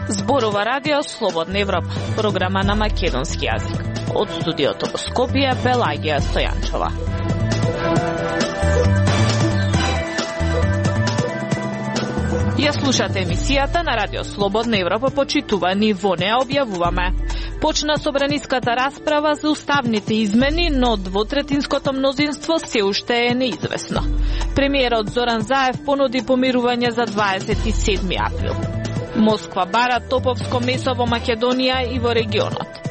Зборува радио Слободна Европа, програма на македонски јазик. Од студиото во Скопје, Пелагија Стојанчова. Ја слушате емисијата на радио Слободна Европа, почитувани, во неа објавуваме. Почна собраниската расправа за уставните измени, но двотретинското мнозинство се уште е неизвестно. Премиерот Зоран Заев понуди помирување за 27 април. Москва бара топовско месо во Македонија и во регионот.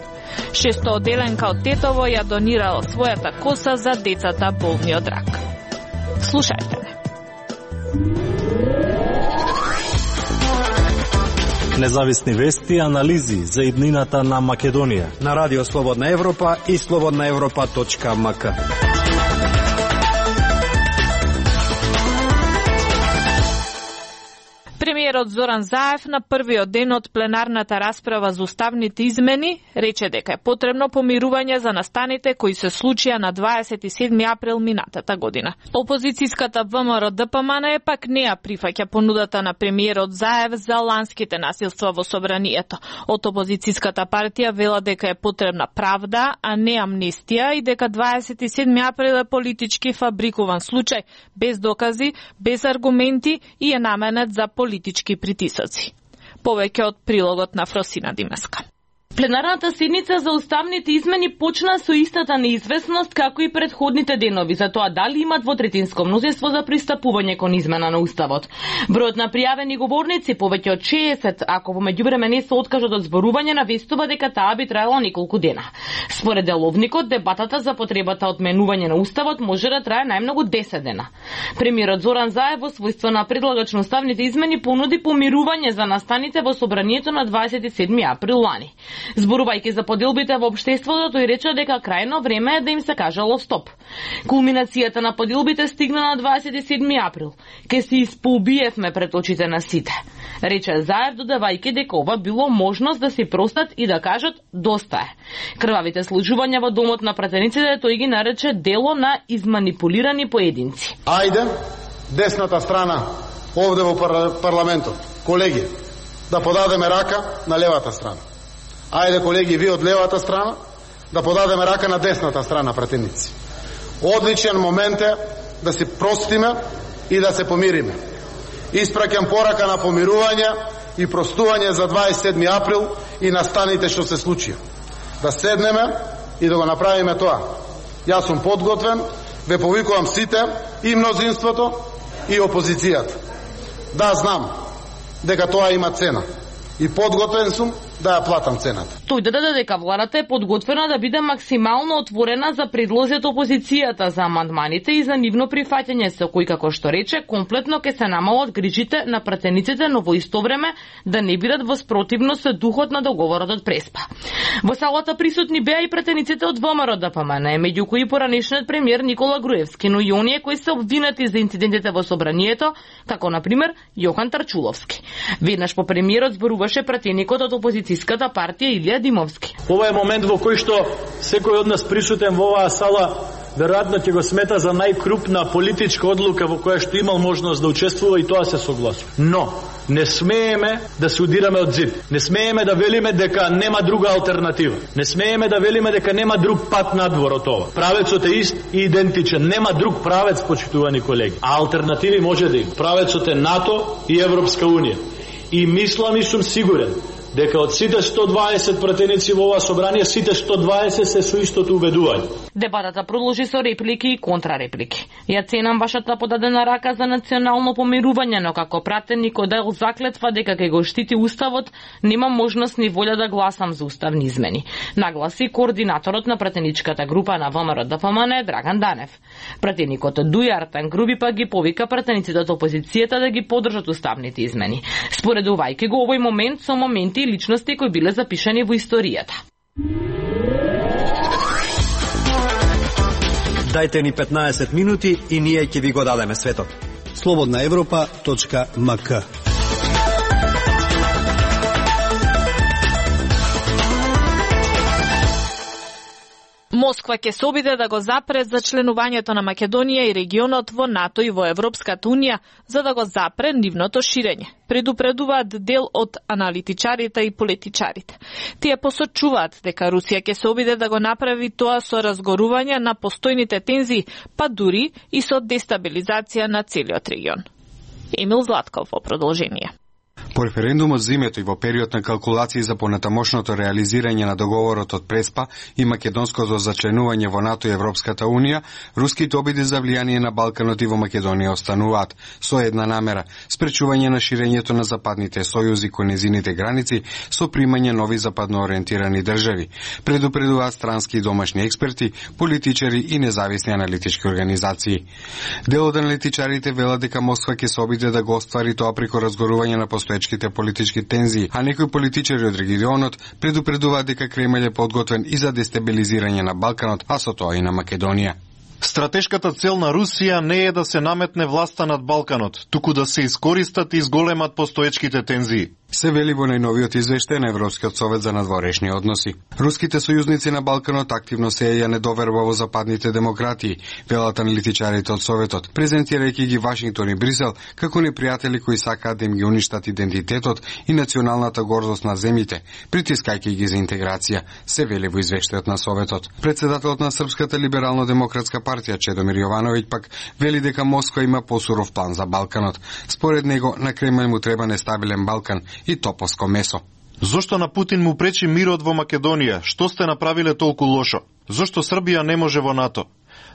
600-оделенка од Тетово ја донирала својата коса за децата болни од рак. Слушајте ме. Независни вести и анализи за иднината на Македонија на Радио Слободна Европа и slobodnaevropa.mk. Премиерот Зоран Заев на првиот ден од пленарната расправа за уставните измени рече дека е потребно помирување за настаните кои се случија на 27 април минатата година. Опозицијската ВМРО-ДПМН пак не ја прифаќа понудата на премиерот Заев за ланските насилства во собранието. Од опозицијската партија вела дека е потребна правда, а не амнестија и дека 27 април е политички фабрикуван случај, без докази, без аргументи и е наменет за политички притисоци. Повеќе од прилогот на Фросина Димеска. Пленарната седница за уставните измени почна со истата неизвестност како и предходните денови за тоа дали има двотретинско мнозинство за пристапување кон измена на уставот. Бројот на пријавени говорници повеќе од 60, ако во меѓувреме не се откажат од зборување, навестува дека таа би траела неколку дена. Според деловникот, дебатата за потребата од менување на уставот може да трае најмногу 10 дена. Премиерот Зоран Заев во својство на предлагач на уставните измени понуди помирување за настаните во собранието на 27 април лани. Зборувајќи за поделбите во општеството, тој рече дека крајно време е да им се кажало стоп. Кулминацијата на поделбите стигна на 27 април. Ке се испоубиевме пред очите на сите. Рече Заев, додавајќи дека ова било можност да се простат и да кажат доста е. Крвавите случувања во домот на пратениците тој ги нарече дело на изманипулирани поединци. Ајде, десната страна овде во парламентот, колеги, да подадеме рака на левата страна. Ајде, колеги, ви од левата страна, да подадеме рака на десната страна, пратеници. Одличен момент е да се простиме и да се помириме. Испраќам порака на помирување и простување за 27 април и настаните што се случија. Да седнеме и да го направиме тоа. Јас сум подготвен, ве повикувам сите, и мнозинството, и опозицијата. Да, знам дека тоа има цена. И подготвен сум да ја платам цената. Тој додаде дека владата е подготвена да биде максимално отворена за предлози од опозицијата за амандманите и за нивно прифаќање, со кој, како што рече, комплетно ќе се намалат грижите на пратениците, но во исто време да не бидат во спротивност со духот на договорот од Преспа. Во салата присутни беа и пратениците од ВМРО-ДПМН, меѓу кои поранешниот премиер Никола Груевски, но и оние кои се обвинати за инцидентите во собранието, како на пример Јохан Тарчуловски. Веднаш по премиерот зборуваше пратеникот од опозицијската партија Илија Димовски. Ова е момент во кој што секој од нас присутен во оваа сала веројатно ќе го смета за најкрупна политичка одлука во која што имал можност да учествува, и тоа се согласува. Но не смееме да се удираме од зид. Не смееме да велиме дека нема друга алтернатива. Не смееме да велиме дека нема друг пат надвор од ова. Правецот е ист и идентичен. Нема друг правец, почитувани колеги. А алтернативи може да има. Правецот е НАТО и Европска унија. И мислам и сум сигурен дека од сите 120 пратеници во ова собрание, сите 120 се со истото убедување. Дебатата продолжи со реплики и контрареплики. Ја ценам вашата подадена рака за национално помирување, но како пратеник од дел заклетва дека ќе го штити уставот, нема можност ни волја да гласам за уставни измени, нагласи координаторот на пратеничката група на ВМРО-ДПМН Драган Данев. Пратеникот Дуј Артан Груби пак ги повика пратениците од опозицијата да ги поддржат уставните измени, споредувајќи го овој момент со моменти и личности кои биле запишани во историјата. Дајте ни 15 минути и ние ќе ви го дадеме светот. slobodnaevropa.mk. Москва ќе се обиде да го запре за членувањето на Македонија и регионот во НАТО и во Европската унија, за да го запре нивното ширење. Предупредуваат дел од аналитичарите и политичарите. Тие посочуваат дека Русија ќе се обиде да го направи тоа со разгорување на постојните тензии, па дури и со дестабилизација на целиот регион. Емил Златков во продолжение. По референдумот зимето и во период на калкулации за понатамошното реализирање на договорот од Преспа и македонското зачленување во НАТО и Европската унија, руските обиди за влијание на Балканот и во Македонија остануваат со една намера – спречување на ширењето на западните сојузи кон незините граници со примање нови западно ориентирани држави. Предупредуваат странски и домашни експерти, политичари и независни аналитички организации. Дел од аналитичарите велат дека Москва ќе се обиде да го оствари тоа преку разгорување на постоечките политички тензии, а некои политичари од регионот предупредуваат дека Кремљ е подготвен и за дестабилизирање на Балканот, а со тоа и на Македонија. Стратешката цел на Русија не е да се наметне власта над Балканот, туку да се искористат и изголемат постоечките тензии. Се вели во најновиот извештај на Европскиот совет за надворешни односи. Руските сојузници на Балканот активно сеја недоверба во западните демократии, велат аналитичарите од Советот, презентирајќи ги Вашингтон и Брисел како непријатели кои сакаат да им ги уништат идентитетот и националната гордост на земјите, притискајќи ги за интеграција, се вели во извештајот на Советот. Председателот на Српската либерално-демократска партија Чедомир Јовановиќ пак вели дека Москва има посуров план за Балканот. Според него на Кремљ му треба нестабилен Балкан и топовско месо. Зошто на Путин му пречи мирот во Македонија? Што сте направиле толку лошо? Зошто Србија не може во НАТО?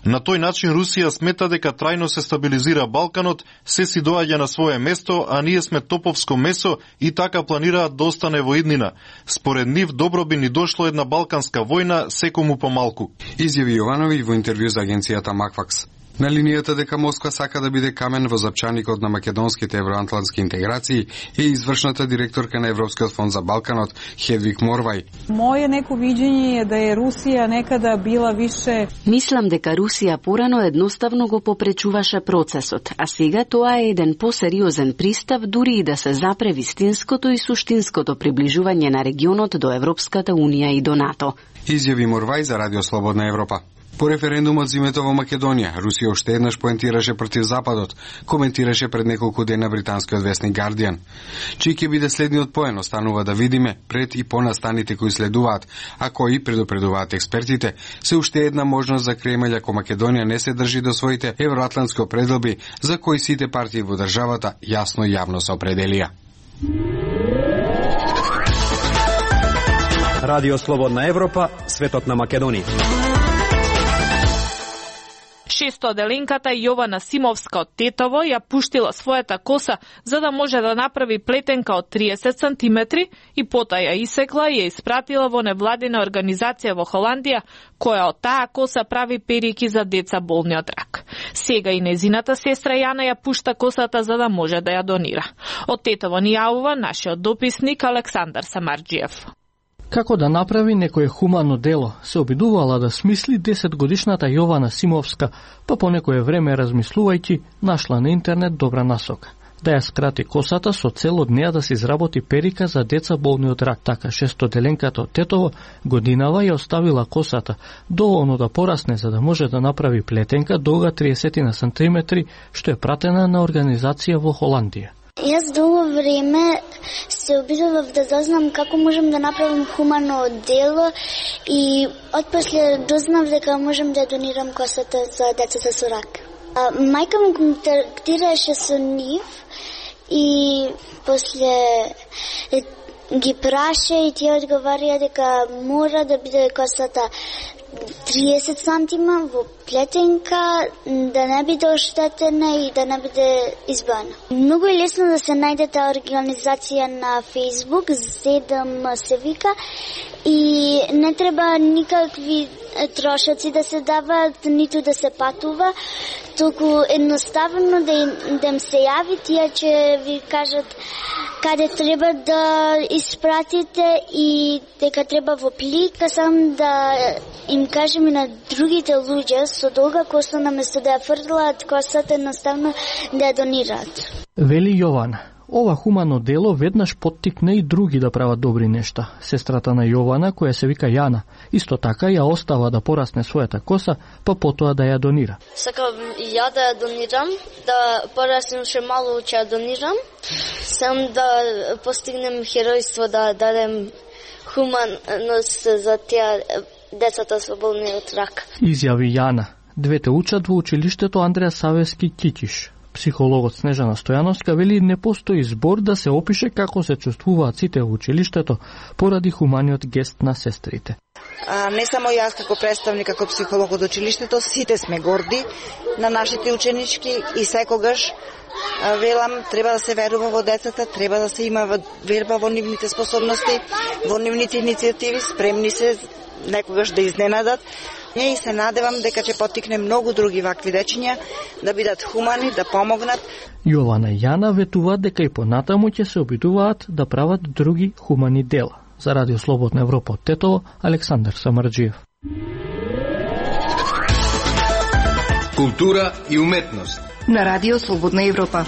На тој начин Русија смета дека трајно се стабилизира Балканот, се си доаѓа на свое место, а ние сме топовско месо и така планираат да остане во иднина. Според нив добро би ни дошло една балканска војна, секому помалку. Изјави Јовановиќ во интервју за агенцијата Маквакс. На линијата дека Москва сака да биде камен во запчаникот на македонските евроатлантски интеграции е извршната директорка на Европскиот фонд за Балканот Хедвиг Морвај. Моје неко видење е да е Русија некада била више... Мислам дека Русија порано едноставно го попречуваше процесот, а сега тоа е еден посериозен пристап дури и да се запре вистинското и суштинското приближување на регионот до Европската унија и до НАТО. Изјави Морвај за Радио Слободна Европа. По референдумот зимето во Македонија, Русија уште еднаш поентираше против Западот, коментираше пред неколку дена британскиот весник Guardian. Чиј ќе биде следниот поен, останува да видиме пред и по настаните кои следуваат, а кои, предупредуваат експертите, се уште една можност за Кремљ ако Македонија не се држи до своите евроатлантски определби, за кои сите партии во државата јасно и јавно се определија. Радио Слободна Европа, светот на Македонија. Шестоделенката Јована Симовска од Тетово ја пуштила својата коса за да може да направи плетенка од 30 сантиметри и потоа ја исекла и ја испратила во невладина организација во Холандија, која од таа коса прави перики за деца болни од рак. Сега и незината сестра Јана ја пушта косата за да може да ја донира. Од Тетово ни јавува нашиот дописник Александар Самарџиев. Како да направи некое хумано дело, се обидувала да смисли 10-годишната Јована Симовска, па по некое време размислувајќи, нашла на интернет добра насока. Да ја скрати косата со цел од неа да се изработи перика за деца болни од рак. Така шестоделенката од Тетово годинава ја оставила косата доволно да порасне за да може да направи плетенка долга 30 на сантиметри, што е пратена на организација во Холандија. Јас долго време се обидував да дознам како можам да направам хумано дело и отпосле дознав дека можам да донирам косата за децата со рак. Мајка ми контактираше со нив и после ги праша и тие одговарија дека мора да биде косата 30 сантима во плетенка, да не биде оштетена и да не биде избана. Многу е лесно да се најде таа организација на Facebook, ZDM се вика, и не треба никакви трошоци да се даваат, ниту да се патува, толку едноставно да им се јави, тие ќе ви кажат каде треба да испратите и дека треба во плик, сам да им кажем и на другите луѓе со долга коса наместо да ја фрлаат косата, едноставно да ја донираат. Вели Јована, ова хумано дело веднаш поттикне и други да прават добри нешта. Сестрата на Јована, која се вика Јана, исто така ја остава да порасне својата коса, па потоа да ја донира. Сакам и ја да ја донирам, да пораснем ше малку ќе ја донирам. Сам да постигнем херојство, да дадем хуманост за тие децата со болни од рак. Изјави Јана. Двете учат во училиштето Андреа Савески Кикиш. Психологот Снежана Стојановска вели не постои збор да се опише како се чувствуваат сите во училиштето поради хуманиот гест на сестрите. Не само јас како представник, како психолог од училиштето, сите сме горди на нашите ученички и секогаш велам, треба да се верува во децата, треба да се има верба во нивните способности, во нивните иницијативи, спремни се некогаш да изненадат. И се надевам дека ќе поттикне многу други вакви дечиња да бидат хумани, да помогнат. Јована и Јана ветуваат дека и понатаму ќе се обидуваат да прават други хумани дела. За Радио Слободна Европа од Тетово, Александар Самарџиев. Култура и уметност на Радио Слободна Европа.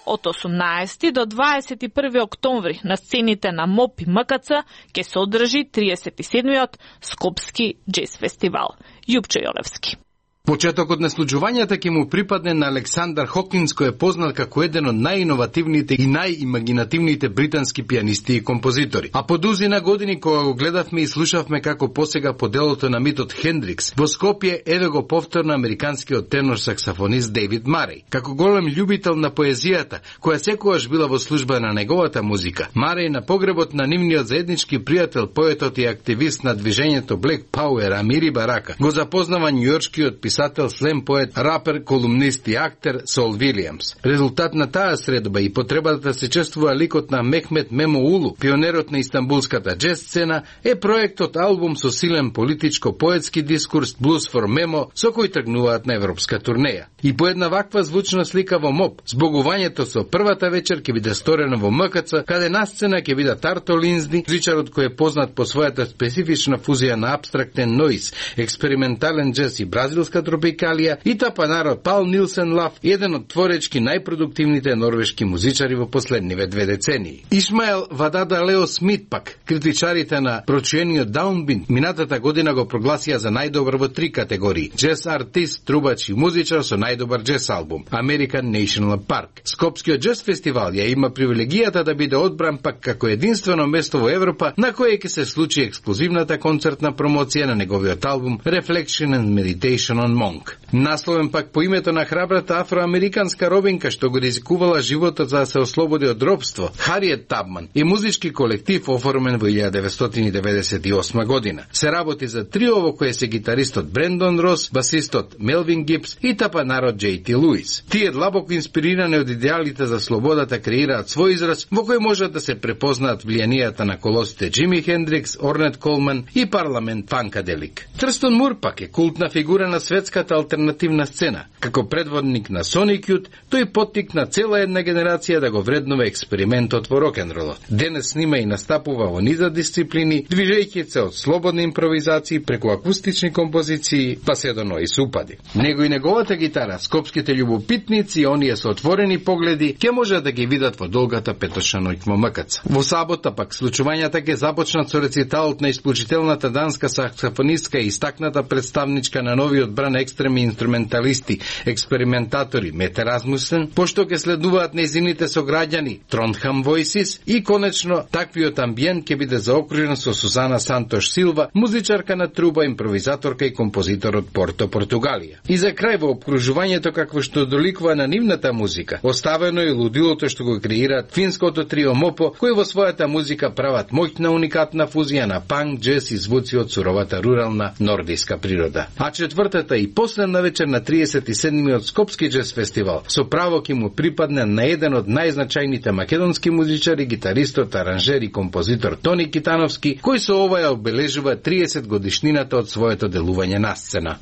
Од 18 до 21 октомври на сцените на МОП и МКЦ ќе се одржи 37-иот Скопски джез фестивал. Јупчо Јолевски. Почетокот на случувањата ќе му припадне на Александар Хокинс, кој е познат како еден од најиновативните и најимагинативните британски пианисти и композитори. А по дузина години кога го гледавме и слушавме како посега по делото на митот Хендрикс, во Скопје еве го повторно американскиот тенор-саксофонист Дейвид Мареј. Како голем љубител на поезијата, која секогаш била во служба на неговата музика, Мареј на погребот на нивниот заеднички пријател, поетот и активист на движењето Black Power Амири Барака, го запознава њујоршкиот писател, слем поет, рапер, колумнист и актер Сол Вилијамс. Резултат на таа средба и потребата да се чествува ликот на Мехмет Мемо Улу, пионерот на истанбулската джез сцена, е проектот албум со силен политичко-поетски дискурс Blues for Memo, со кој тргнуваат на европска турнеја. И по една ваква звучна слика во МОП, збогувањето со првата вечер ќе биде сторено во МКЦ, каде на сцена ќе биде Тарто Линзди, музичарот кој е познат по својата специфична фузија на абстрактен ноиз, експериментален джез и бразилска тропикалија, и тапанарот Пал Нилсен Лав, еден од творечки најпродуктивните норвешки музичари во последниве 2 децении. Ишмаел Вадада Лео Смит пак, критичарите на прочуениот Даунбинд, минатата година го прогласија за најдобар во 3 категории: джез артист, трубач и музичар со најдобар джез албум, American National Park. Скопскиот джез фестивал ја има привилегијата да биде одбран пак како единствено место во Европа на кое ќе се случи ексклузивната концертна промоција на неговиот албум Reflection and Meditation on Monk. Насловен пак по името на храбрата афроамериканска робинка што го ризикувала животот за да се ослободи од робство, Хариет Табман, е музички колектив оформен во 1998 година. Се работи за трио во кое се гитаристот Брендон Рос, басистот Мелвин Гибс и тапанарот J.T. Луис. Тие длабоко инспирирани од идеалите за слободата креираат свој израз во кој можат да се препознаат влијанијата на колосите Джими Хендрикс, Орнет Колман и Парламент Фанкаделик. Трстон Мур пак е култна фигура на светската алтернативна сцена. Како предводник на Sonic Youth, тој поттикна цела една генерација да го вреднува експериментот во рок-н-ролот. Денес снима и настапува во низа дисциплини, движејќи се од слободни импровизации преку акустични композиции, па се до ноис упади. Него и неговата гитара, скопските љубопитници и оние со отворени погледи ќе можат да ги видат во долгата петочна ноќ во МКЦ. Во сабота пак случувањата ќе започнат со рециталот на исклучителната данска саксофонистка и истакната представничка на новиот бран екстреми инструменталисти, експериментатори Мете Размусен, пошто ќе следуваат нејзините сограѓани Тронхам Voices и конечно таквиот амбиент ќе биде заокружен со Сузана Сантош Силва, музичарка на труба, импровизаторка и композитор од Порто, Португалија. И за крај во обкружувањето какво што доликува на нивната музика, оставено и лудилото што го креираат финското трио Мопо, кои во својата музика прават моќна уникатна фузија на панк, джез и звуци од суровата рурална нордиска природа. А четвртата и последна вечер на 37-миот Скопски джез фестивал со право ќе му припадне на еден од најзначајните македонски музичари, гитаристот, аранжер и композитор Тони Китановски, кој со ова ја обележува 30 годишнината од своето делување на сцена.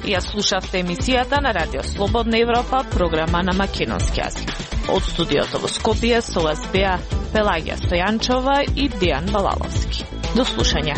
Ја слушавте емисијата на Радио Слободна Европа, програма на македонски јазик. Од студиото во Скопје со вас беа Пелагија Стојанчова и Дејан Балаловски. До слушање.